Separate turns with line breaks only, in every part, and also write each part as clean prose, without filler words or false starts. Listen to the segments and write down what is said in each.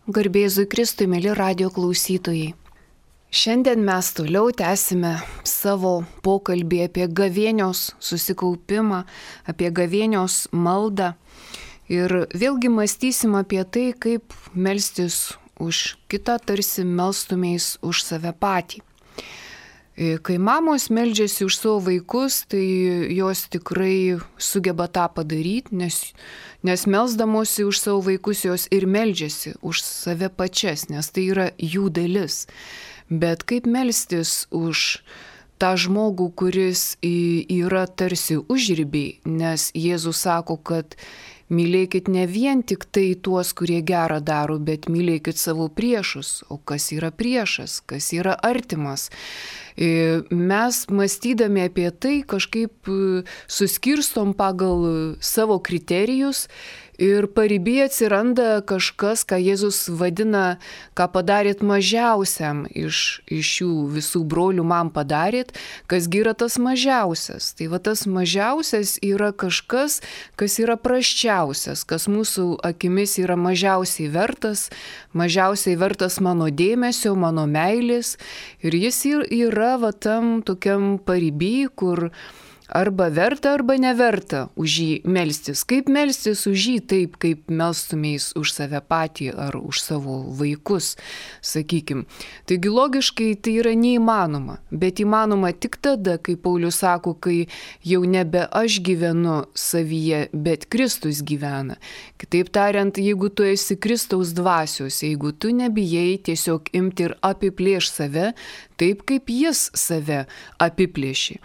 Garbėzui Kristui, mėly radio klausytojai. Šiandien mes toliau tęsime savo pokalbį apie gavėnios susikaupimą, apie gavėnios maldą. Ir vėlgi mąstysim apie tai, kaip melstis už kitą, tarsi melstumės už save patį. Kai mamos meldžiasi už savo vaikus, tai jos tikrai sugeba tą padaryti, nes melsdamosi už savo vaikus jos ir meldžiasi už save pačias, nes tai yra jų dalis. Bet kaip melstis už tą žmogų, kuris yra tarsi užribiai, nes Jėzus sako, kad mylėkit ne vien tik tai tuos, kurie gerą daro, bet mylėkit savo priešus. O kas yra priešas, kas yra artimas? Mes mąstydami apie tai kažkaip suskirstom pagal savo kriterijus ir paribyje atsiranda kažkas, ką Jėzus vadina, ką padarėt mažiausiam iš šių visų brolių man padarėt, kasgi yra tas mažiausias. Tai va tas mažiausias yra kažkas, kas yra prasčiausias, kas mūsų akimis yra mažiausiai vertas mano dėmesio, mano meilės. Ir jis yra va tam tokiam pariby, kur arba verta, arba neverta už jį melstis. Kaip melstis už jį taip, kaip melstumės už save patį ar už savo vaikus, sakykim. Taigi logiškai tai yra neįmanoma, bet įmanoma tik tada, kai Paulius sako, kai jau nebe aš gyvenu savyje, bet Kristus gyvena. Kitaip tariant, jeigu tu esi Kristaus dvasios, jeigu tu nebijai tiesiog imti ir apiplėš save, taip kaip jis save apiplėši.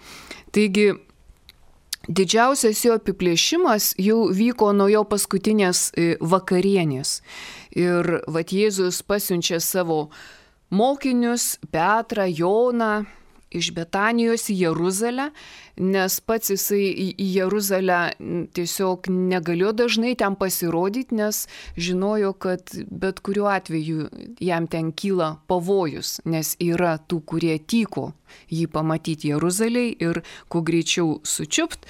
Taigi, didžiausias jo apiplėšimas jau vyko nuo jo paskutinės vakarienės. Ir vat Jėzus pasiunčia savo mokinius, Petrą, Joną, iš Betanijos į Jeruzalę, nes pats jisai į Jeruzalę tiesiog negalėjo dažnai ten pasirodyti, nes žinojo, kad bet kuriuo atveju jam ten kyla pavojus, nes yra tų, kurie tyko jį pamatyti Jeruzalėje ir kuo greičiau sučiupt.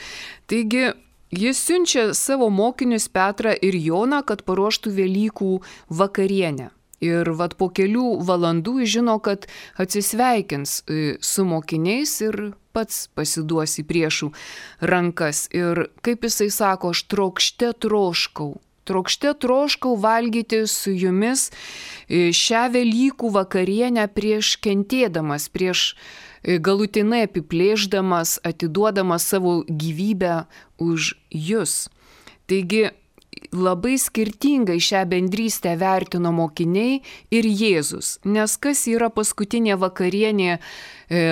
Taigi jis siunčia savo mokinius Petrą ir Joną, kad paruoštų Velykų vakarienę. Ir vat po kelių valandų jis žino, kad atsisveikins su mokiniais ir pats pasiduos į priešų rankas. Ir kaip jisai sako, aš trokšte troškau valgyti su jumis šią Velykų vakarienę prieš kentėdamas, prieš galutinai apiplėšdamas, atiduodamas savo gyvybę už jus. Taigi, labai skirtingai šią bendrystę vertino mokiniai ir Jėzus, nes kas yra paskutinė vakarienė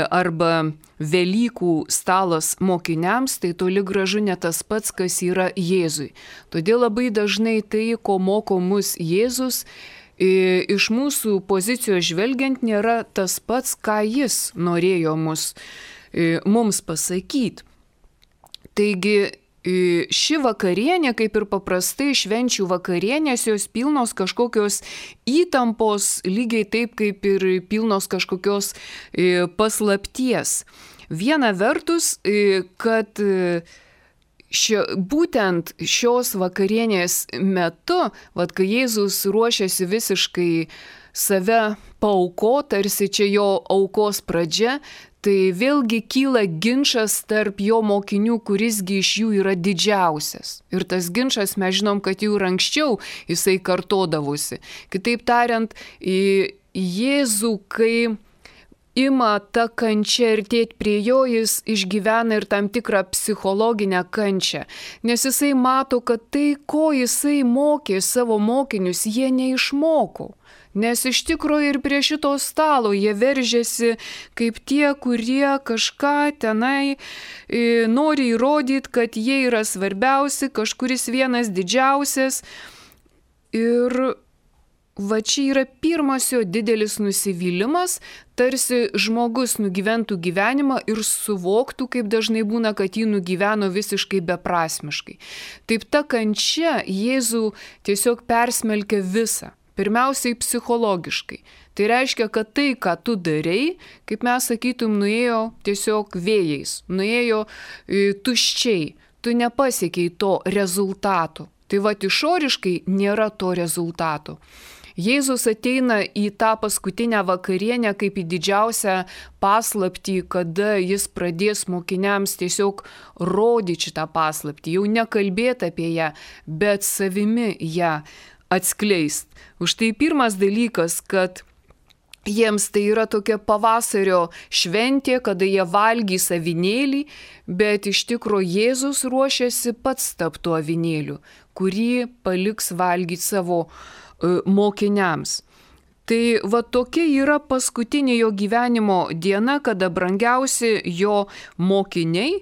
arba Velykų stalas mokiniams, tai toli gražu ne tas pats, kas yra Jėzui. Todėl labai dažnai tai, ko moko mus Jėzus, iš mūsų pozicijos žvelgiant nėra tas pats, ką jis norėjo mums pasakyti. Taigi, ši vakarienė, kaip ir paprastai švenčių vakarienės, jos pilnos kažkokios įtampos, lygiai taip kaip ir pilnos kažkokios paslapties. Viena vertus, kad būtent šios vakarienės metu, kai Jėzus ruošiasi visiškai save paaukoti, tarsi čia jo aukos pradžia, tai vėlgi kyla ginčas tarp jo mokinių, kurisgi iš jų yra didžiausias. Ir tas ginčas, mes žinom, kad jau ir anksčiau jisai kartodavosi. Kitaip tariant, Jėzų, kai ima ta kančia artėti prie jo, jis išgyvena ir tam tikrą psichologinę kančią. Nes jisai mato, kad tai, ko jisai mokė savo mokinius, jie neišmoko. Nes iš tikrųjų ir prie šito stalo jie veržėsi kaip tie, kurie kažką tenai nori įrodyti, kad jie yra svarbiausi, kažkuris vienas didžiausias. Ir va čia yra pirmas jo didelis nusivylimas, tarsi žmogus nugyventų gyvenimą ir suvoktų, kaip dažnai būna, kad jį nugyveno visiškai beprasmiškai. Taip ta kančia Jėzų tiesiog persmelkia visą. Pirmiausiai psichologiškai. Tai reiškia, kad tai, ką tu darei, kaip mes sakytum, nuėjo tiesiog vėjais, nuėjo tuščiai, tu nepasiekiai to rezultato. Tai va, išoriškai nėra to rezultato. Jėzus ateina į tą paskutinę vakarienę kaip į didžiausią paslaptį, kada jis pradės mokiniams tiesiog rodyti šitą paslaptį, jau nekalbėti apie ją, bet savimi ją atskleist. Už tai pirmas dalykas, kad jiems tai yra tokia pavasario šventė, kada jie valgys avinėlį, bet iš tikro Jėzus ruošiasi pats tapti tuo avinėliu, kurį paliks valgyti savo mokiniams. Tai va tokia yra paskutinė jo gyvenimo diena, kada brangiausi jo mokiniai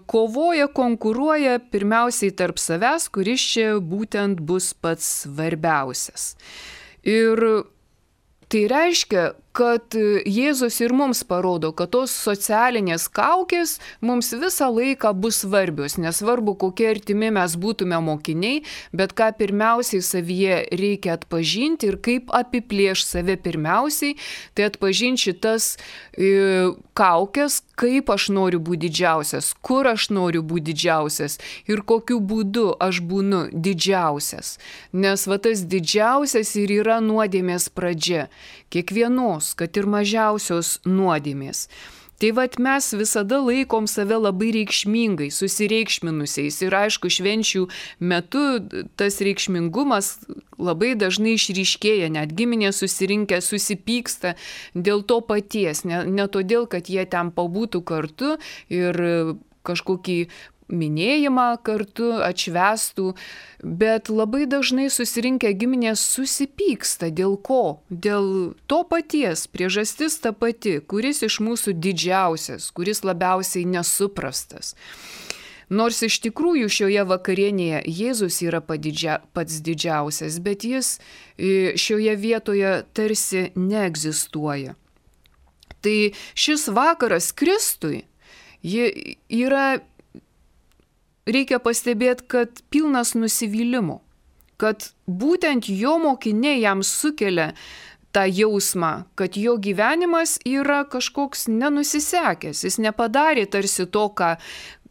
kovoja, konkuruoja pirmiausiai tarp savęs, kuris čia būtent bus pats svarbiausias. Ir tai reiškia, kad Jėzus ir mums parodo, kad tos socialinės kaukės mums visą laiką bus svarbios. Nesvarbu, kokie artimi mes būtume mokiniai, bet ką pirmiausiai savyje reikia atpažinti ir kaip apiplėš save pirmiausiai, tai atpažinti šitas kaukės, kaip aš noriu būti didžiausias, kur aš noriu būti didžiausias ir kokiu būdu aš būnu didžiausias. Nes va tas didžiausias ir yra nuodėmės pradžia. Kiekvienos, kad ir mažiausios nuodėmės. Tai vat mes visada laikom save labai reikšmingai, susireikšminusiais ir aišku, švenčių metu tas reikšmingumas labai dažnai išryškėja, net giminės susirinkę susipyksta dėl to paties, ne todėl, kad jie ten pabūtų kartu ir kažkokį minėjimą kartu atšvęstų, bet labai dažnai susirinkę giminės susipyksta. Dėl ko? Dėl to paties, priežastis ta pati, kuris iš mūsų didžiausias, kuris labiausiai nesuprastas. Nors iš tikrųjų šioje vakarienėje Jėzus yra pats didžiausias, bet jis šioje vietoje tarsi neegzistuoja. Tai šis vakaras Kristui yra, reikia pastebėti, kad pilnas nusivylimų, kad būtent jo mokiniai jam sukelia tą jausmą, kad jo gyvenimas yra kažkoks nenusisekęs, jis nepadarė tarsi to, ką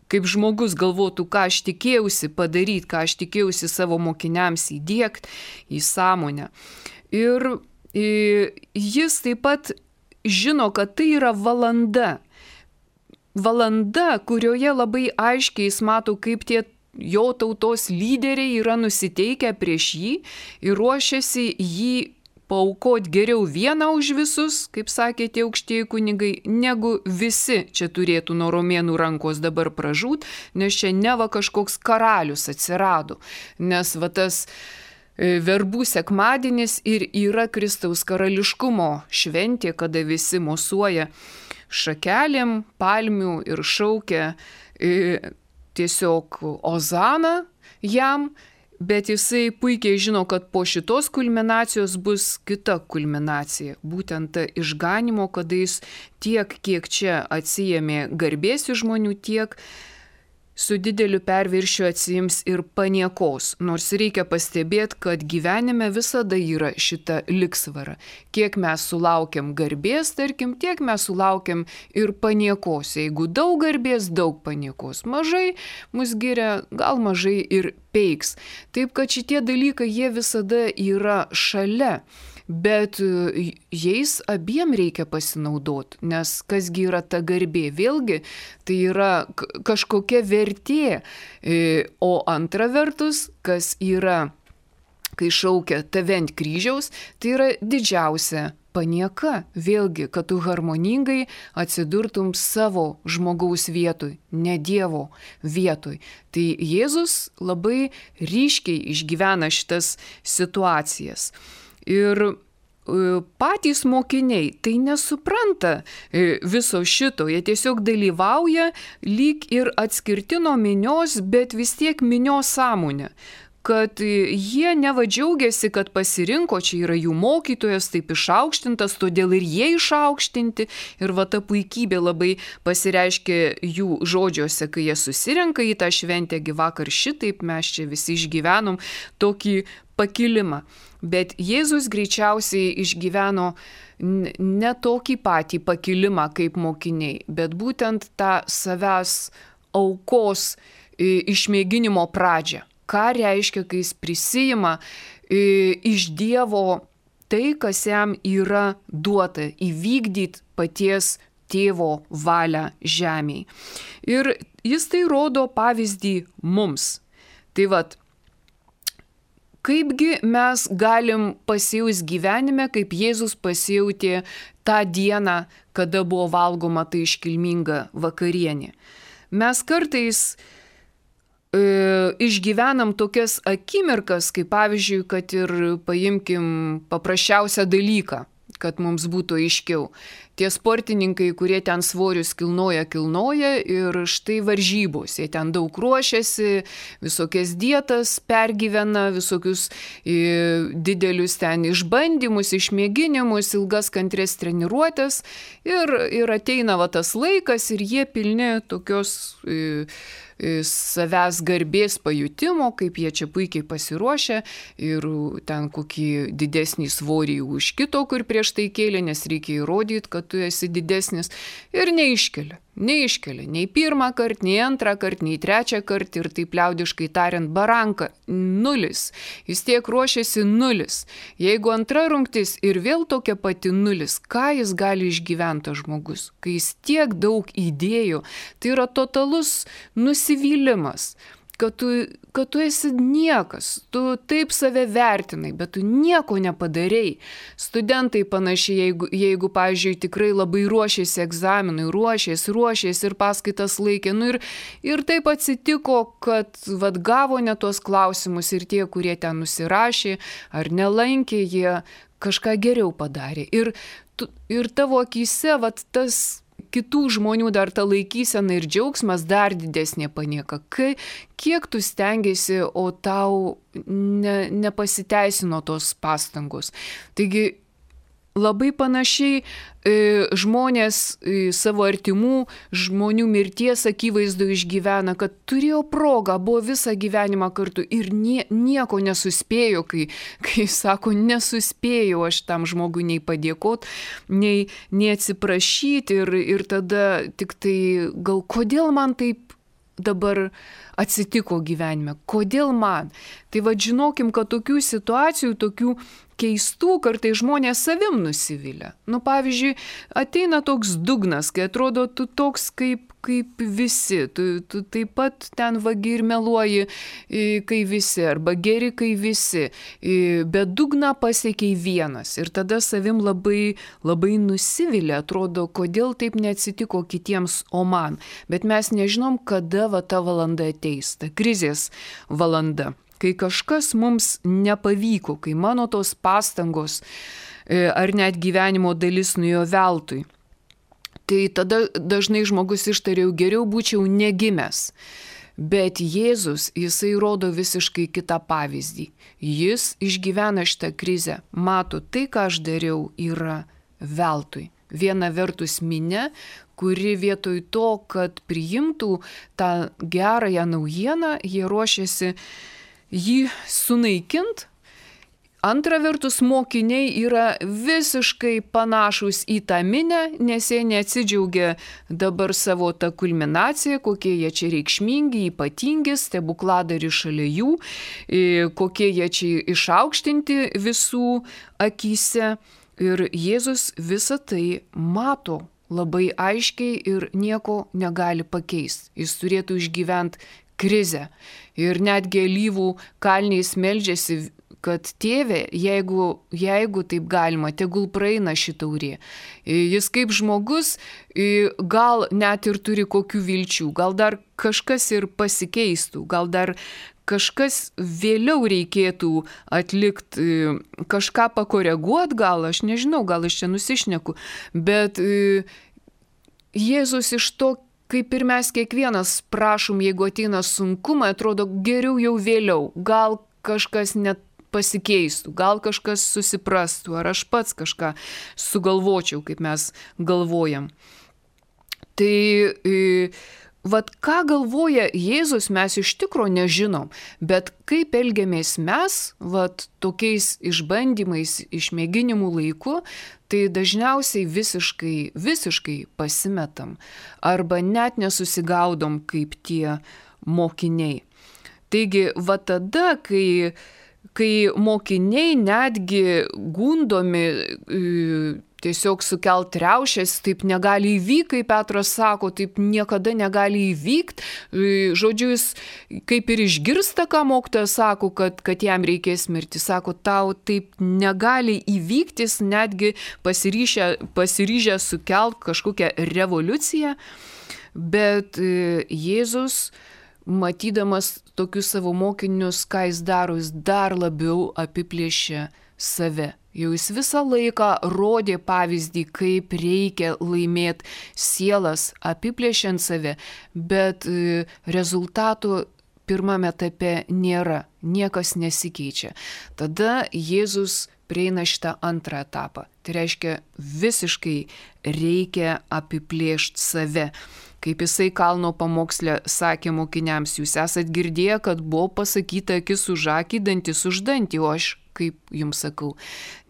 kaip žmogus galvotų, ką aš tikėjausi padaryti, ką aš tikėjausi savo mokiniams įdiegti į sąmonę. Ir jis taip pat žino, kad tai yra valanda, kurioje labai aiškiai jis mato, kaip tie jo tautos lyderiai yra nusiteikę prieš jį ir ruošiasi jį paaukoti geriau vieną už visus, kaip sakė tie aukštieji kunigai, negu visi čia turėtų nuo romėnų rankos dabar pražūt, nes čia neva kažkoks karalius atsirado, nes va tas verbų sekmadienis ir yra Kristaus karališkumo šventė, kada visi mosuoja šakelėm, palmių ir šaukia tiesiog ozaną jam, bet jisai puikiai žino, kad po šitos kulminacijos bus kita kulminacija. Būtent ta išganimo, kada jis tiek, kiek čia atsijėmė garbės iš žmonių, tiek su dideliu perviršiu atsiims ir paniekos. Nors reikia pastebėti, kad gyvenime visada yra šita ligsvara. Kiek mes sulaukiam garbės, tarkim, tiek mes sulaukiam ir paniekos. Jeigu daug garbės, daug paniekos. Mažai mus giria, gal mažai ir peiks. Taip, kad šitie dalykai jie visada yra šalia. Bet jais abiem reikia pasinaudoti, nes kasgi yra ta garbė, vėlgi tai yra kažkokia vertė, o antra vertus, kas yra, kai šaukia tave ant kryžiaus, tai yra didžiausia panieka, vėlgi, kad tu harmoningai atsidurtum savo žmogaus vietoj, ne Dievo vietoj. Tai Jėzus labai ryškiai išgyvena šitas situacijas. Ir patys mokiniai tai nesupranta viso šito, jie tiesiog dalyvauja lyg ir atskirti nuo minios, bet vis tiek minios sąmonė. Kad jie neva džiaugiasi, kad pasirinko, čia yra jų mokytojas, taip išaukštintas, todėl ir jie išaukštinti. Ir va ta puikybė labai pasireiškia jų žodžiuose, kai jie susirenka į tą šventę, vakar šitaip mes čia visi išgyvenom tokį pakilimą. Bet Jėzus greičiausiai išgyveno ne tokį patį pakilimą kaip mokiniai, bet būtent tą savęs aukos išmėginimo pradžią. Ką reiškia, kai jis prisijima iš Dievo tai, kas jam yra duota, įvykdyti paties tėvo valią žemėje. Ir jis tai rodo pavyzdį mums. Tai vat, kaipgi mes galim pasijausti gyvenime, kaip Jėzus pasijautė tą dieną, kada buvo valgoma ta iškilminga vakarienė. Mes kartais išgyvenam tokias akimirkas, kaip pavyzdžiui, kad ir paimkim paprasčiausią dalyką, kad mums būtų aiškiau. Tie sportininkai, kurie ten svorius kilnoja ir štai varžybos, jie ten daug ruošiasi, visokias dietas pergyvena, visokius didelius ten išbandymus, išmėginimus, ilgas kantrės treniruotės ir ateina tas laikas ir jie pilni tokios savęs garbės pajutimo, kaip jie čia puikiai pasiruošia ir ten kokį didesnį svorį už kito, kur prieš tai kėlė, nes reikia įrodyti, kad tu esi didesnis ir neiškelia, nei pirmą kartą, nei antrą kartą, nei trečią kartą ir taip liaudiškai tariant baranka, 0. Jis tiek ruošiasi 0. Jeigu antra rungtis ir vėl tokia pati 0, ką jis gali išgyventi žmogus, kai jis tiek daug įdėjo, tai yra totalus nusivylimas. Kad tu esi niekas, tu taip save vertinai, bet tu nieko nepadarei. Studentai panašiai, jeigu pavyzdžiui, tikrai labai ruošėsi egzaminui, ruošėsi ir paskaitas laikė. Ir taip atsitiko, kad gavo ne tuos klausimus ir tie, kurie ten nusirašė ar nelankė, jie kažką geriau padarė. Ir tavo akyse tas kitų žmonių dar ta laikysena ir džiaugsmas dar didesnė panieka. Kiek tu stengiasi, o tau nepasiteisino tos pastangos. Taigi labai panašiai žmonės savo artimų žmonių mirties akivaizdu išgyvena, kad turėjo progą, buvo visą gyvenimą kartu ir nieko nesuspėjo, kai sako, nesuspėjau aš tam žmogui nei padėkoti, nei atsiprašyti ir tada tik tai gal kodėl man taip dabar atsitiko gyvenime, kodėl man. Tai žinokim, kad tokių situacijų, tokių keistų kartai žmonės savim nusivilia. Pavyzdžiui, ateina toks dugnas, kai atrodo tu toks kaip visi, tu taip pat ten vagi ir meluoji, kai visi, arba geri, kai visi, bet dugną pasiekiai vienas ir tada savim labai, labai nusivilia, atrodo, kodėl taip neatsitiko kitiems, o man. Bet mes nežinom, kada ta valanda ateis, ta krizės valanda. Kai kažkas mums nepavyko, kai mano tos pastangos ar net gyvenimo dalis nuėjo veltui, tai tada dažnai žmogus ištariau, geriau būčiau negimęs. Bet Jėzus, jisai rodo visiškai kitą pavyzdį. Jis išgyvena šitą krizę, mato, tai, ką aš dariau, yra veltui. Viena vertus minia, kuri vietoj to, kad priimtų tą gerąją naujieną, jie ruošiasi jį sunaikint. Antra vertus, mokiniai yra visiškai panašus į tą minę, nes jie neatsidžiaugia dabar savo tą kulminaciją, kokie jie čia reikšmingi, ypatingi, stebukladari šalia jų, kokie jie čia išaukštinti visų akyse. Ir Jėzus visą tai mato labai aiškiai ir nieko negali pakeisti. Jis turėtų išgyventi krizę. Ir netgi alyvų kalniais meldžiasi, kad tėve, jeigu taip galima, tegul praeina ši taurė. Jis kaip žmogus gal net ir turi kokių vilčių, gal dar kažkas ir pasikeistų, gal dar kažkas vėliau reikėtų atlikti, kažką pakoreguoti, gal aš nežinau, gal aš čia nusišneku, bet Jėzus iš to, kaip ir mes kiekvienas prašom, jeigu ateina sunkumai, atrodo geriau jau vėliau, gal kažkas net pasikeistų, gal kažkas susiprastų, ar aš pats kažką sugalvočiau, kaip mes galvojam. Tai ką galvoja Jėzus, mes iš tikro nežinom, bet kaip elgiamės mes, tokiais išbandymais, išmėginimų laiku, tai dažniausiai visiškai pasimetam arba net nesusigaudom kaip tie mokiniai. Taigi, tada, kai kai mokiniai netgi gundomi tiesiog sukelt riaušės, taip negali įvykti, kaip Petras sako, taip niekada negali įvykti. Žodžiu, jis kaip ir išgirsta, ką mokytojas sako, kad jam reikės mirti. Sako, tau taip negali įvykti, jis netgi pasiryžę sukelt kažkokią revoliuciją. Bet Jėzus, matydamas tokius savo mokinius, ką jis daro, jis dar labiau apiplėšia save. Jau jis visą laiką rodė pavyzdį, kaip reikia laimėti sielas, apiplėšiant save, bet rezultatų pirmame etape nėra, niekas nesikeičia. Tada Jėzus prieina šitą antrą etapą. Tai reiškia, visiškai reikia apiplėšti save. Kaip jisai kalno pamoksle sakė mokiniams, jūs esat girdėję, kad buvo pasakyta akis už akį, dantis už dantį, o aš, kaip jums sakau,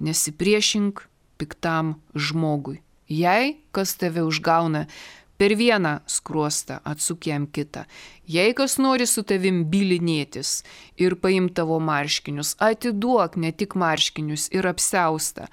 nesipriešink piktam žmogui. Jei kas tave užgauna per vieną skruostą, atsuk jam kitą. Jei kas nori su tavim bylinėtis ir paimti tavo marškinius, atiduok ne tik marškinius ir apsiaustą.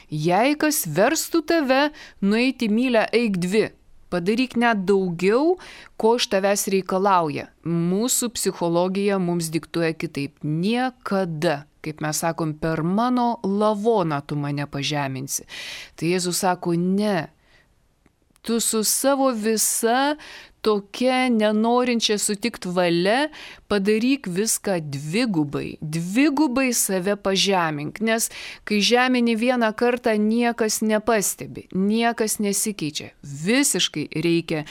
Jei kas verstų tave nueiti mylę, eik dvi. Padaryk net daugiau, ko iš tavęs reikalauja. Mūsų psichologija mums diktuoja kitaip. Niekada, kaip mes sakom, per mano lavoną tu mane pažeminsi. Tai Jėzus sako, ne. Tu su savo visa tokia nenorinčia sutikti valia padaryk viską dvigubai save pažemink, nes kai žemini vieną kartą niekas nepastebi, niekas nesikeičia. Visiškai reikia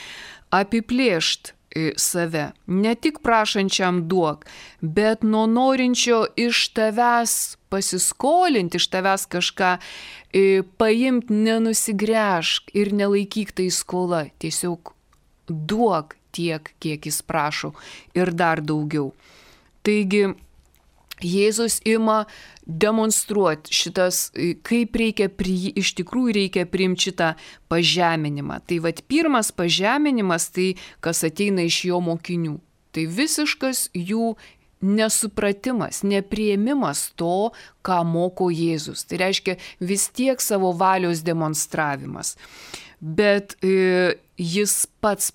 apiplėšti save, ne tik prašančiam duok, bet nuo norinčio iš tavęs pasiskolinti, iš tavęs kažką paimti, nenusigręžk ir nelaikyk tai skola, tiesiog duok tiek, kiek jis prašo ir dar daugiau. Taigi Jėzus ima demonstruoti šitas, kaip iš tikrųjų reikia priimti šitą pažeminimą. Tai vat pirmas pažeminimas, tai kas ateina iš jo mokinių. Tai visiškas jų nesupratimas, nepriėmimas to, ką moko Jėzus. Tai reiškia vis tiek savo valios demonstravimas. Bet Jėzus pats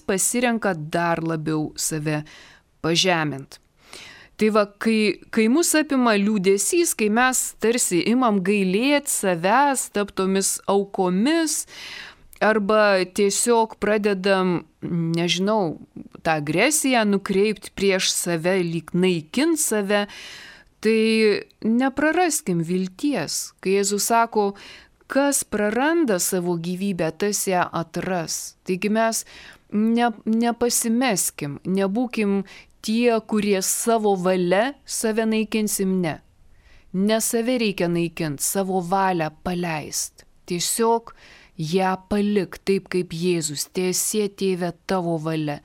pasirenka dar labiau save pažemint. Tai va, kai mus apima liūdesys, kai mes tarsi imam gailėti savęs, taptomis aukomis, arba tiesiog pradedam, nežinau, tą agresiją nukreipti prieš save, lyg naikint save, tai nepraraskim vilties. Kai Jėzus sako, kas praranda savo gyvybę, tas ją atras. Taigi mes nepasimeskim, nebūkim tie, kurie savo valia save naikinsim, ne. Ne save reikia naikinti, savo valią paleist. Tiesiog ją palik taip kaip Jėzus, tiesie Tėve tavo valia.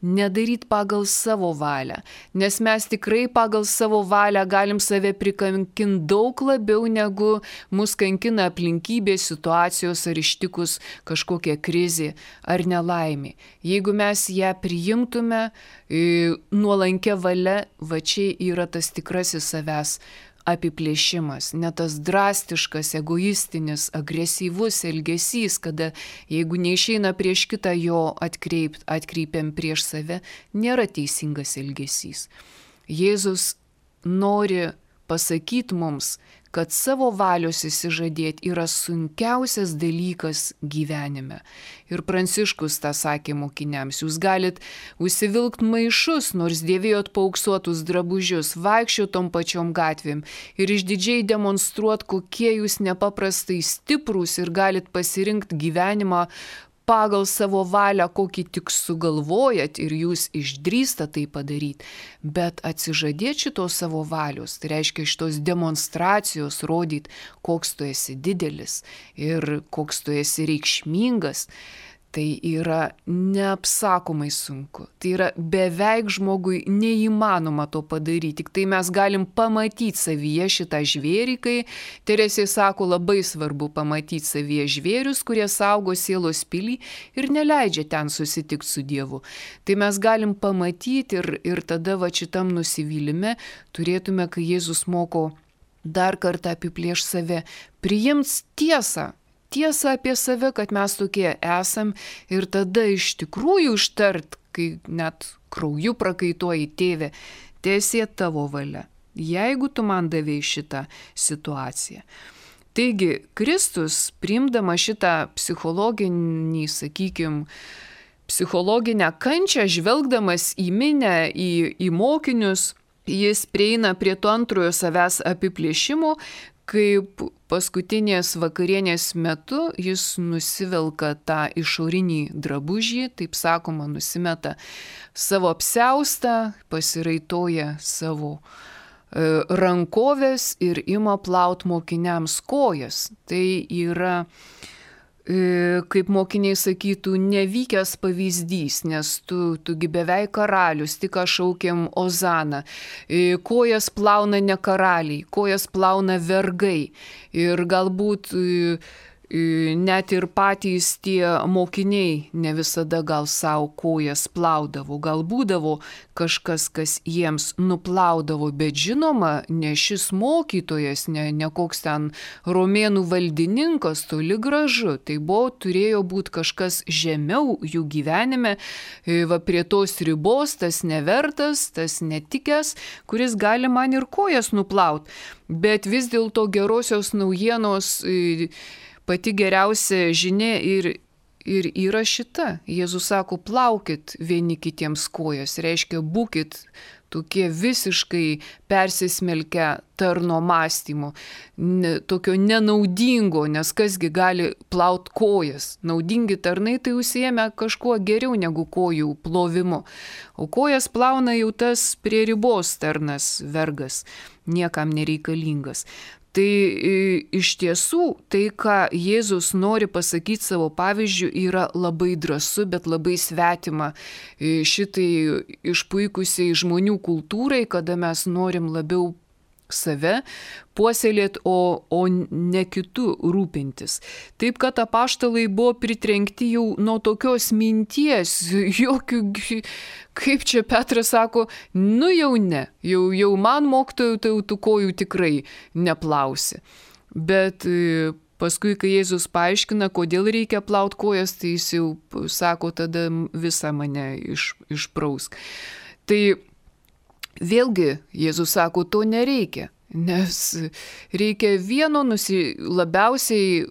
Nedaryt pagal savo valią, nes mes tikrai pagal savo valią galim save prikankinti daug labiau, negu mus kankina aplinkybės, situacijos ar ištikus kažkokia krizė ar nelaimė. Jeigu mes ją priimtume nuolankia valia, va čia yra tas tikrasis savęs apiplėšimas, ne tas drastiškas, egoistinis, agresyvus elgesys, kada jeigu neišeina prieš kitą jo atkreipiam prieš save, nėra teisingas elgesys. Jėzus nori pasakyti mums, kad savo valios išsižadėti yra sunkiausias dalykas gyvenime. Ir Pranciškus tą sakė mokiniams, jūs galit užsivilkt maišus, nors dėvėjot paauksuotus drabužius, vaikščiot tom pačiom gatvėm ir išdidžiai demonstruot, kokie jūs nepaprastai stiprūs ir galit pasirinkti gyvenimą pagal savo valią, kokį tik sugalvojat ir jūs išdrįstat tai padaryti. Bet atsižadėti šitos savo valios, tai reiškia šitos demonstracijos rodyti, koks tu esi didelis ir koks tu esi reikšmingas, tai yra neapsakomai sunku. Tai yra beveik žmogui neįmanoma to padaryti. Tik tai mes galim pamatyti savyje šitą žvėrį, kai Teresė sako, labai svarbu pamatyti savyje žvėrius, kurie saugo sielos pilį ir neleidžia ten susitikti su Dievu. Tai mes galim pamatyti ir tada va šitam nusivylime turėtume, kai Jėzus moko dar kartą apiplėš save, priims tiesą apie save, kad mes tokie esam ir tada iš tikrųjų ištart, kai net krauju prakaituoji, Tėve, teesie tavo valia, jeigu tu man davėjai šitą situaciją. Taigi, Kristus, priimdama šitą psichologinį, psichologinę kančią, žvelgdamas į minę, į mokinius, jis prieina prie to antrojo savęs apiplėšimo, kaip paskutinės vakarienės metu jis nusivelka tą išorinį drabužį, taip sakoma, nusimeta savo apsiaustą, pasiraitoja savo rankovės ir ima plaut mokiniams kojas. Tai yra, kaip mokiniai sakytų, nevykęs pavyzdys, nes tugi beveik karalius, tik šaukėm Ozaną. Kojas plauna ne karaliai, kojas plauna vergai. Ir galbūt net ir patys tie mokiniai ne visada gal savo kojas plaudavo. Gal būdavo kažkas, kas jiems nuplaudavo, bet žinoma, ne šis mokytojas, ne koks ten romėnų valdininkas, toli gražu. Tai turėjo būti kažkas žemiau jų gyvenime, va prie tos ribos, tas nevertas, tas netikęs, kuris gali man ir kojas nuplaut. Bet vis dėlto gerosios naujienos pati geriausia žinia ir yra šita. Jėzus sako, plaukit vieni kitiems kojas, reiškia, būkit tokie visiškai persismelkę tarno mąstymo, tokio nenaudingo, nes kasgi gali plaut kojas. Naudingi tarnai tai užsiėmė kažkuo geriau negu kojų plovimu. O kojas plauna jau tas prie ribos tarnas, vergas, niekam nereikalingas. Tai iš tiesų, tai, ką Jėzus nori pasakyti savo pavyzdžiu, yra labai drąsu, bet labai svetima šitai išpuikusiai žmonių kultūrai, kada mes norim labiau save puoselėti, o ne kitų rūpintis. Taip, kad apaštalai buvo pritrenkti jau nuo tokios minties, jokių, kaip čia Petras sako, nu jau ne, jau man mokytojų tai tų kojų tikrai neplausi. Bet paskui, kai Jėzus paaiškina, kodėl reikia plaut kojas, tai jis jau sako, tada visą mane išprausk. Tai vėlgi, Jėzus sako, to nereikia, nes reikia vieno labiausiai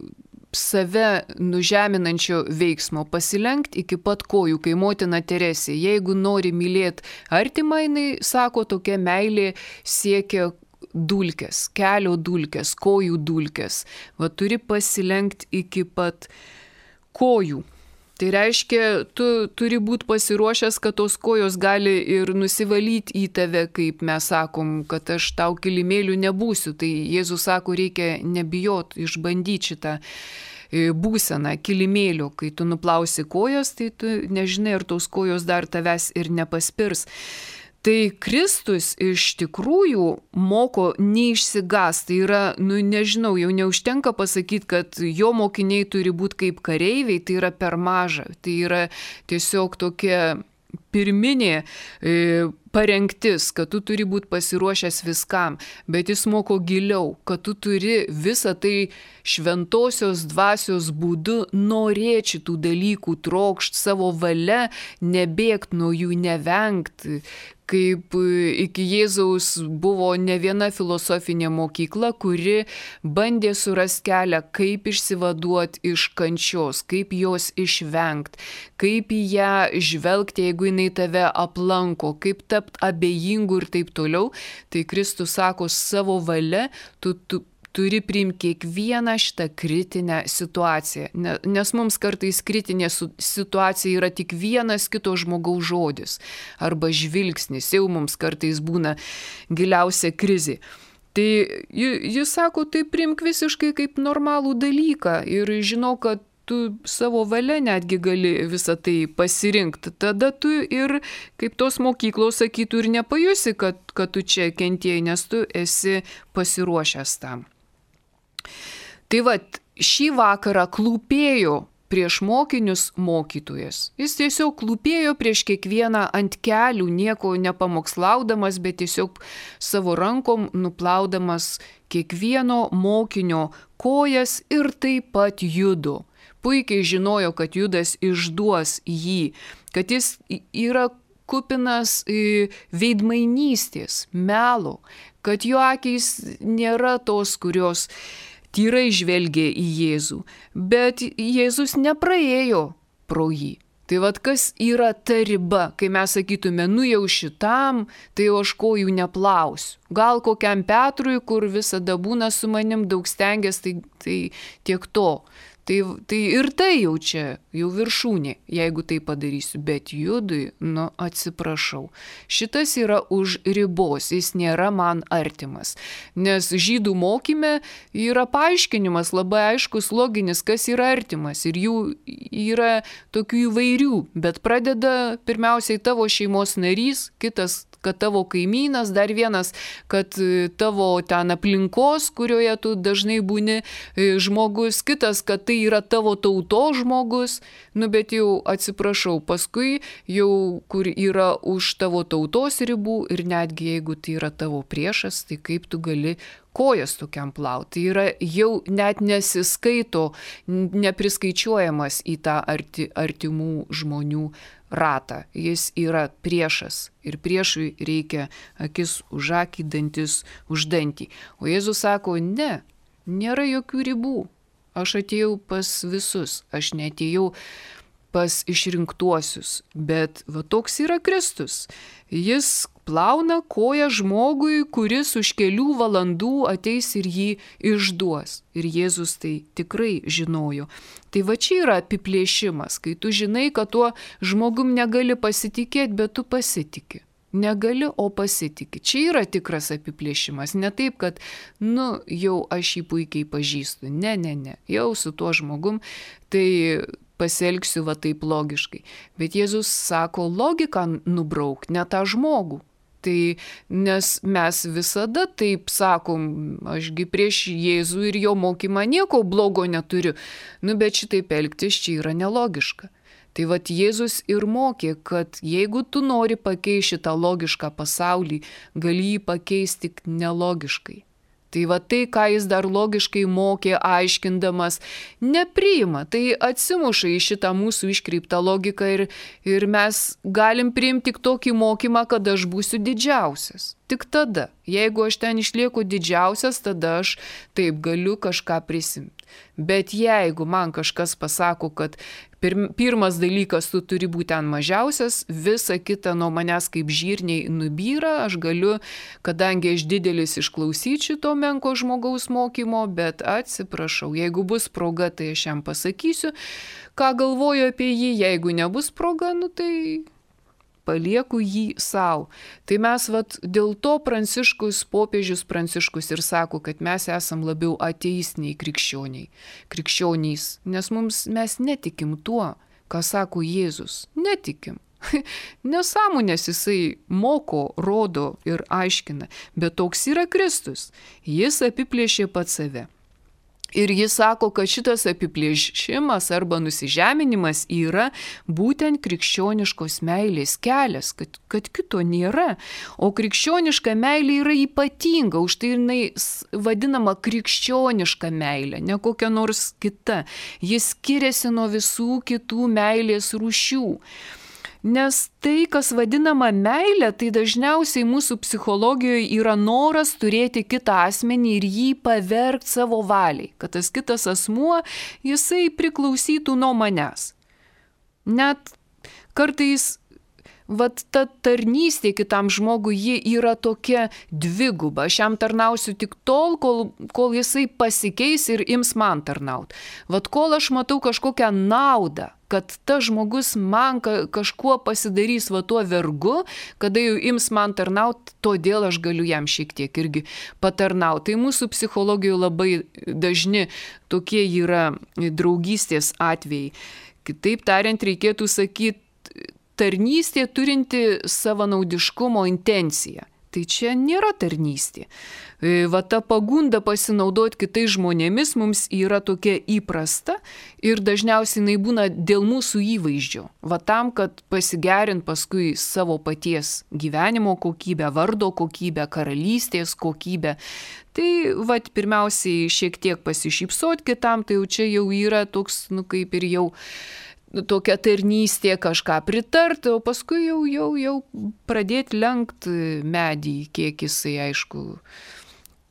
save nužeminančio veiksmo, pasilenkti iki pat kojų, kai motina Teresė. Jeigu nori mylėti artimą, jinai sako, tokia meilė siekia dulkes, kelio dulkes, kojų dulkes. Va, turi pasilenkti iki pat kojų. Tai reiškia, tu turi būti pasiruošęs, kad tos kojos gali ir nusivalyti į tave, kaip mes sakom, kad aš tau kilimėlių nebūsiu. Tai Jėzus sako, reikia nebijot, išbandyti šitą būseną kilimėlio. Kai tu nuplausi kojas, tai tu nežinai, ar tos kojos dar tavęs ir nepaspirs. Tai Kristus iš tikrųjų moko neišsigąsti. Tai yra, nežinau, jau neužtenka pasakyti, kad jo mokiniai turi būti kaip kareiviai, tai yra per maža. Tai yra tiesiog tokia pirminė parengtis, kad tu turi būti pasiruošęs viskam, bet jis moko giliau, kad tu turi visą tai šventosios dvasios būdu norėti šitų dalykų, trokšti savo valia, nebėgti nuo jų, nevengti. Kaip iki Jėzaus buvo ne viena filosofinė mokykla, kuri bandė surasti kelią, kaip išsivaduoti iš kančios, kaip jos išvengti, kaip į ją žvelgti, jeigu jinai tave aplanko, kaip tapti abejingu ir taip toliau. Tai Kristus sako, savo valia tu turi priimti kiekvieną šitą kritinę situaciją, nes mums kartais kritinė situacija yra tik vienas kito žmogaus žodis arba žvilgsnis, jau mums kartais būna giliausia krizė. Tai jis sako, tai priimk visiškai kaip normalų dalyką ir žinau, kad tu savo valia netgi gali visą tai pasirinkti. Tada tu ir, kaip tos mokyklos sakytų, ir nepajusi, kad tu čia kentėjai, nes tu esi pasiruošęs tam. Tai vat, šį vakarą klūpėjo prieš mokinius mokytojas. Jis tiesiog klūpėjo prieš kiekvieną ant kelių, nieko nepamokslaudamas, bet tiesiog savo rankom nuplaudamas kiekvieno mokinio kojas ir taip pat Judo. Puikiai žinojo, kad Judas išduos jį, kad jis yra kupinas veidmainystės, melo, kad jo akys nėra tos, kurios tyrai žvelgė į Jėzų, bet Jėzus nepraėjo pro jį. Tai vat kas yra ta riba, kai mes sakytume, nu jau šitam, tai aš kojų neplausiu. Gal kokiam Petrui, kur visada būna su manim, daug stengiasi, tai tiek to. Tai ir tai jau čia, jau viršūnė, jeigu tai padarysiu. Bet Judui, atsiprašau, šitas yra už ribos, jis nėra man artimas. Nes žydų mokyme yra paaiškinimas labai aiškus, loginis, kas yra artimas. Ir jų yra tokių įvairių, bet pradeda pirmiausiai tavo šeimos narys, kitas, kad tavo kaimynas, dar vienas, kad tavo ten aplinkos, kurioje tu dažnai būni žmogus, kitas, kad tai yra tavo tautos žmogus, bet jau atsiprašau, paskui jau kur yra už tavo tautos ribų ir netgi jeigu tai yra tavo priešas, tai kaip tu gali kojas tokiam plauti. Tai yra jau net nesiskaito, nepriskaičiuojamas į tą artimų žmonių ratą. Jis yra priešas ir priešui reikia akis už akį, dantis už dantį. O Jėzus sako, ne, nėra jokių ribų. Aš atėjau pas visus, aš neatėjau pas išrinktuosius, bet va toks yra Kristus. Jis plauna koją žmogui, kuris už kelių valandų ateis ir jį išduos. Ir Jėzus tai tikrai žinojo. Tai va čia yra apiplėšimas, kai tu žinai, kad tuo žmogum negali pasitikėti, bet tu pasitiki. Negali, o pasitiki. Čia yra tikras apiplėšimas. Ne taip, kad, jau aš jį puikiai pažįstu. Ne. Jau su tuo žmogum, tai pasielgsiu va taip logiškai. Bet Jėzus sako, logiką nubrauk, ne tą žmogų. Tai nes mes visada taip sakom, ašgi prieš Jėzų ir jo mokymą nieko blogo neturiu. Bet šitaip elgtis čia yra nelogiška. Tai vat Jėzus ir mokė, kad jeigu tu nori pakeisti šitą logišką pasaulį, gali jį pakeisti tik nelogiškai. Tai va tai, ką jis dar logiškai mokė, aiškindamas, nepriima. Tai atsimuša į šitą mūsų iškreiptą logiką ir mes galim priimti tik tokį mokymą, kad aš būsiu didžiausias. Tik tada, jeigu aš ten išlieku didžiausias, tada aš taip galiu kažką prisimti. Bet jeigu man kažkas pasako, kad pirmas dalykas tu turi būti ten mažiausias, visa kita nuo manęs kaip žirniai nubyra, aš galiu, kadangi aš didelis, išklausyti šito menko žmogaus mokymo, bet atsiprašau, jeigu bus proga, tai aš jam pasakysiu, ką galvoju apie jį, jeigu nebus proga, tai palieku jį savo. Tai mes dėl to popiežius Pranciškus ir sako, kad mes esam labiau ateistiniai krikščionys, nes mes netikim tuo, ką sako Jėzus. Netikim. Nesąmonės jisai moko, rodo ir aiškina, bet toks yra Kristus. Jis apiplėšė pats save. Ir jis sako, kad šitas apiplėšimas arba nusižeminimas yra būtent krikščioniškos meilės kelias, kad kito nėra. O krikščioniška meilė yra ypatinga, už tai jinai vadinama krikščioniška meilė, ne kokia nors kita. Jis skiriasi nuo visų kitų meilės rūšių. Nes tai, kas vadinama meilė, tai dažniausiai mūsų psichologijoje yra noras turėti kitą asmenį ir jį pavergti savo valiai, kad tas kitas asmuo, jisai priklausytų nuo manęs. Net kartais vat ta tarnystė kitam žmogui, ji yra tokia dviguba. Aš jam tarnausiu tik tol, kol jisai pasikeis ir ims man tarnauti. Vat kol aš matau kažkokią naudą, kad tas žmogus man kažkuo pasidarys va tuo vergu, kada jau ims man tarnauti, todėl aš galiu jam šiek tiek irgi patarnauti. Tai mūsų psichologijoje labai dažni tokie yra draugystės atvejai. Kitaip tariant, reikėtų sakyti, tarnystė turinti savanaudiškumo intenciją. Tai čia nėra tarnystė. Va ta pagunda pasinaudoti kitais žmonėmis mums yra tokia įprasta ir dažniausiai jinai būna dėl mūsų įvaizdžio. Va tam, kad pasigerint paskui savo paties gyvenimo kokybę, vardo kokybę, karalystės kokybę. Tai va pirmiausiai šiek tiek pasišypsot kitam, tai jau čia jau yra toks, kaip ir jau tokia tarnystė, kažką pritarti, o paskui jau pradėti lenkt medį, kiek jisai, aišku,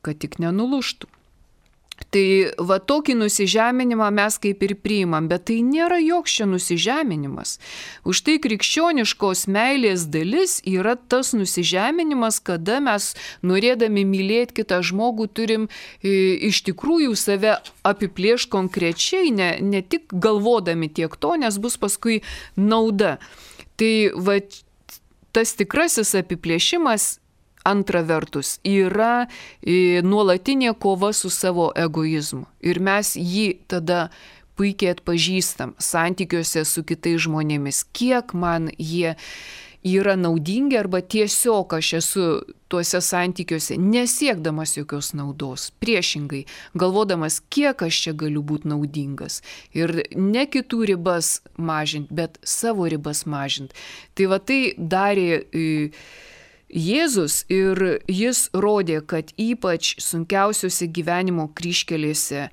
kad tik nenuluštų. Tai va tokį nusižeminimą mes kaip ir priimam, bet tai nėra joks čia nusižeminimas. Už tai krikščioniškos meilės dalis yra tas nusižeminimas, kada mes norėdami mylėti kitą žmogų turim iš tikrųjų save apiplėšti konkrečiai, ne tik galvodami tiek to, nes bus paskui nauda. Tai va tas tikrasis apiplėšimas antra vertus yra nuolatinė kova su savo egoizmu. Ir mes jį tada puikiai atpažįstam santykiuose su kitais žmonėmis, kiek man jie yra naudingi arba tiesiog aš esu tuose santykiuose nesiekdamas jokios naudos. Priešingai, galvodamas, kiek aš čia galiu būti naudingas. Ir ne kitų ribas mažinti, bet savo ribas mažinti. Tai va tai darė Jėzus ir jis rodė, kad ypač sunkiausiuose gyvenimo kryžkelėse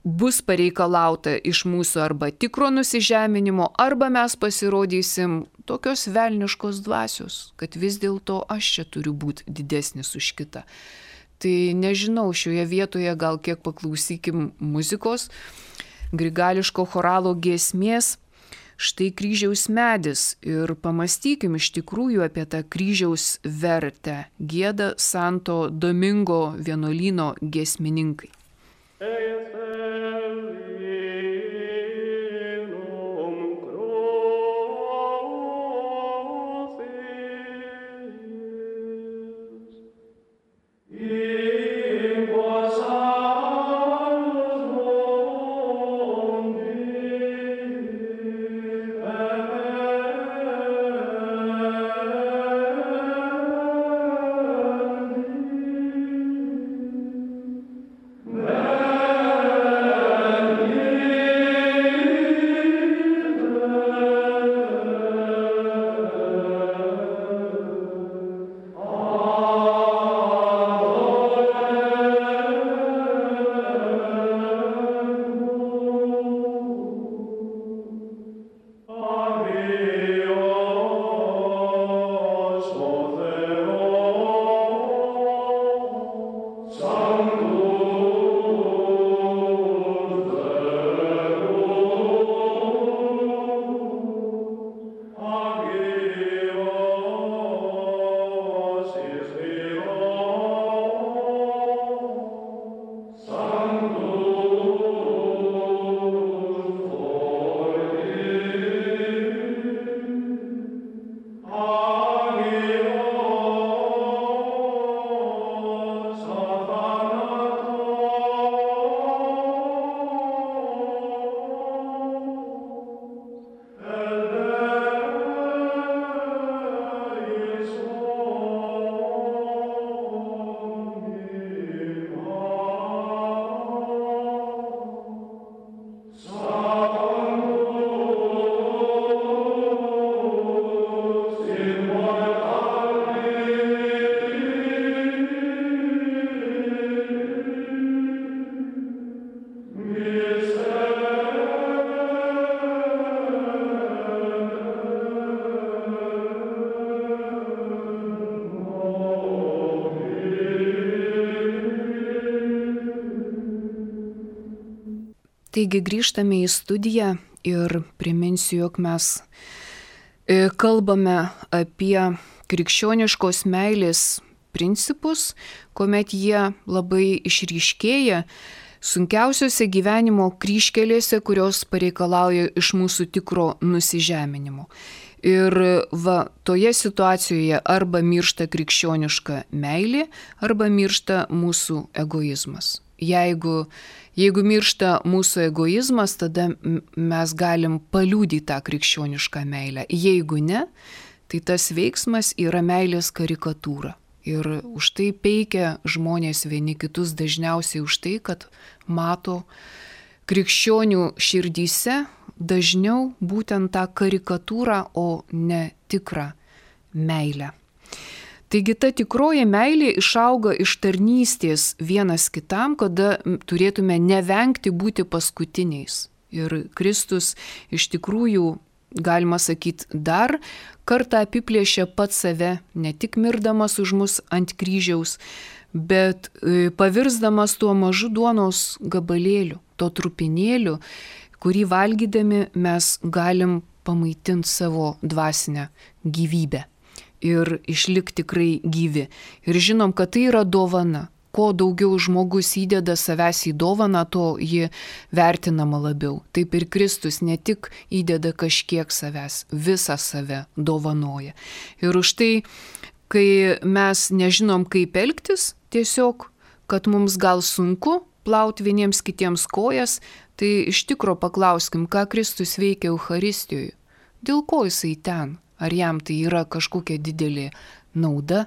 bus pareikalauta iš mūsų arba tikro nusižeminimo, arba mes pasirodysim tokios velniškos dvasios, kad vis dėlto aš čia turiu būti didesnis už kitą. Tai nežinau, šioje vietoje gal kiek paklausykim muzikos, grigališko choralo giesmės. Štai kryžiaus medis ir pamastykim iš tikrųjų apie tą kryžiaus vertę. Gieda Santo Domingo vienuolyno giesmininkai. Taigi grįžtame į studiją ir priminsiu, jog mes kalbame apie krikščioniškos meilės principus, kuomet jie labai išryškėja sunkiausiose gyvenimo kryžkelėse, kurios pareikalauja iš mūsų tikro nusižeminimo. Ir toje situacijoje arba miršta krikščioniška meilė, arba miršta mūsų egoizmas. Jeigu miršta mūsų egoizmas, tada mes galim paliudyti tą krikščionišką meilę. Jeigu ne, tai tas veiksmas yra meilės karikatūra. Ir už tai peikia žmonės vieni kitus dažniausiai už tai, kad mato krikščionių širdyse dažniau būtent tą karikatūrą, o ne tikrą meilę. Taigi ta tikroji meilė išauga iš tarnystės vienas kitam, kada turėtume nevengti būti paskutiniais. Ir Kristus iš tikrųjų, galima sakyti, dar kartą apiplėšė pats save, ne tik mirdamas už mus ant kryžiaus, bet pavirsdamas tuo mažu duonos gabalėliu, to trupinėliu, kurį valgydami mes galim pamaitinti savo dvasinę gyvybę ir išlikti tikrai gyvi. Ir žinom, kad tai yra dovana. Kuo daugiau žmogus įdeda savęs į dovaną, to ji vertinama labiau. Taip ir Kristus ne tik įdeda kažkiek savęs, visą save dovanoja. Ir už tai, kai mes nežinom, kaip elgtis, tiesiog, kad mums gal sunku plauti vieniems kitiems kojas, tai iš tikro paklauskim, ką Kristus veikia Eucharistijoje. Dėl ko jisai ten? Ar jam tai yra kažkokia didelė nauda?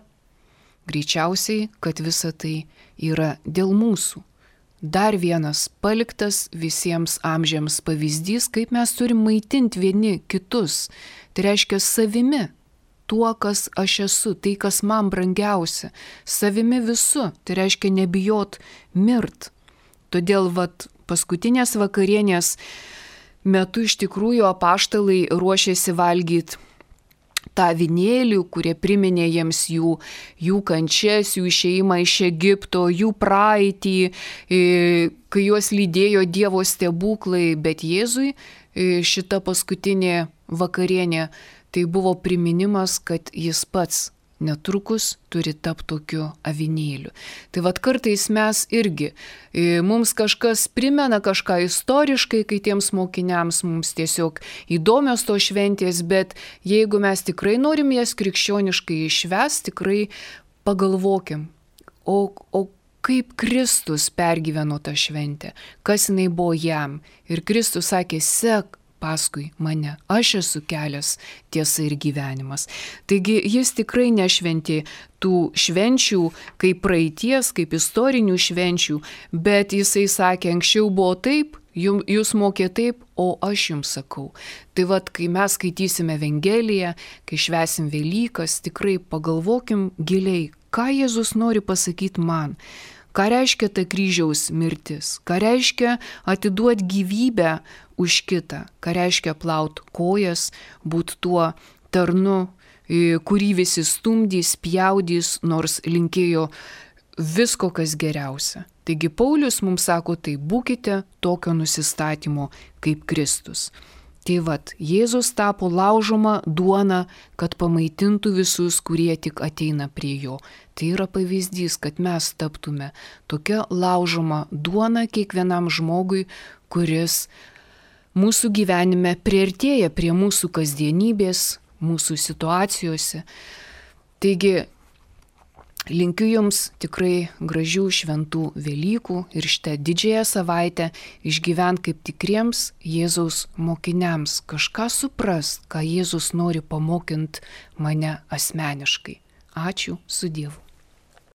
Greičiausiai, kad visa tai yra dėl mūsų. Dar vienas paliktas visiems amžiams pavyzdys, kaip mes turim maitinti vieni kitus. Tai reiškia savimi, tuo, kas aš esu, tai, kas man brangiausia. Savimi visu, tai reiškia nebijot mirt. Todėl paskutinės vakarienės metu iš tikrųjų apaštalai ruošėsi valgyti tą avinėlį, kurie priminė jiems jų kančias, jų išėjimą iš Egipto, jų praeitį, kai juos lydėjo Dievo stebuklai, bet Jėzui šita paskutinė vakarienė tai buvo priminimas, kad jis pats netrukus turi tapti tokiu avinėliu. Tai kartais mes irgi, mums kažkas primena kažką istoriškai, kai tiems mokiniams mums tiesiog įdomios to šventės, bet jeigu mes tikrai norim jas krikščioniškai išvest, tikrai pagalvokim, o kaip Kristus pergyveno tą šventę, kas jinai buvo jam. Ir Kristus sakė, sek paskui mane, aš esu kelias, tiesa ir gyvenimas. Taigi jis tikrai nešventė tų švenčių kaip praeities, kaip istorinių švenčių, bet jisai sakė, anksčiau buvo taip, jūs mokė taip, o aš jums sakau. Tai kai mes skaitysime Evangeliją, kai švęsim Velykas, tikrai pagalvokim giliai, ką Jėzus nori pasakyti man. Ką reiškia ta kryžiaus mirtis? Ką reiškia atiduoti gyvybę už kitą? Ką reiškia plaut kojas, būt tuo tarnu, kurį visi stumdys, pjaudys, nors linkėjo visko, kas geriausia. Taigi Paulius mums sako, tai būkite tokio nusistatymo kaip Kristus. Tai Jėzus tapo laužoma duona, kad pamaitintų visus, kurie tik ateina prie jo. Tai yra pavyzdys, kad mes taptume tokia laužoma duona kiekvienam žmogui, kuris mūsų gyvenime priartėja prie mūsų kasdienybės, mūsų situacijose. Taigi, linkiu jums tikrai gražių šventų Velykų ir šitą didžiąją savaitę išgyvent kaip tikriems Jėzaus mokiniams, kažką suprast, ką Jėzus nori pamokint mane asmeniškai. Ačiū, su Dievu.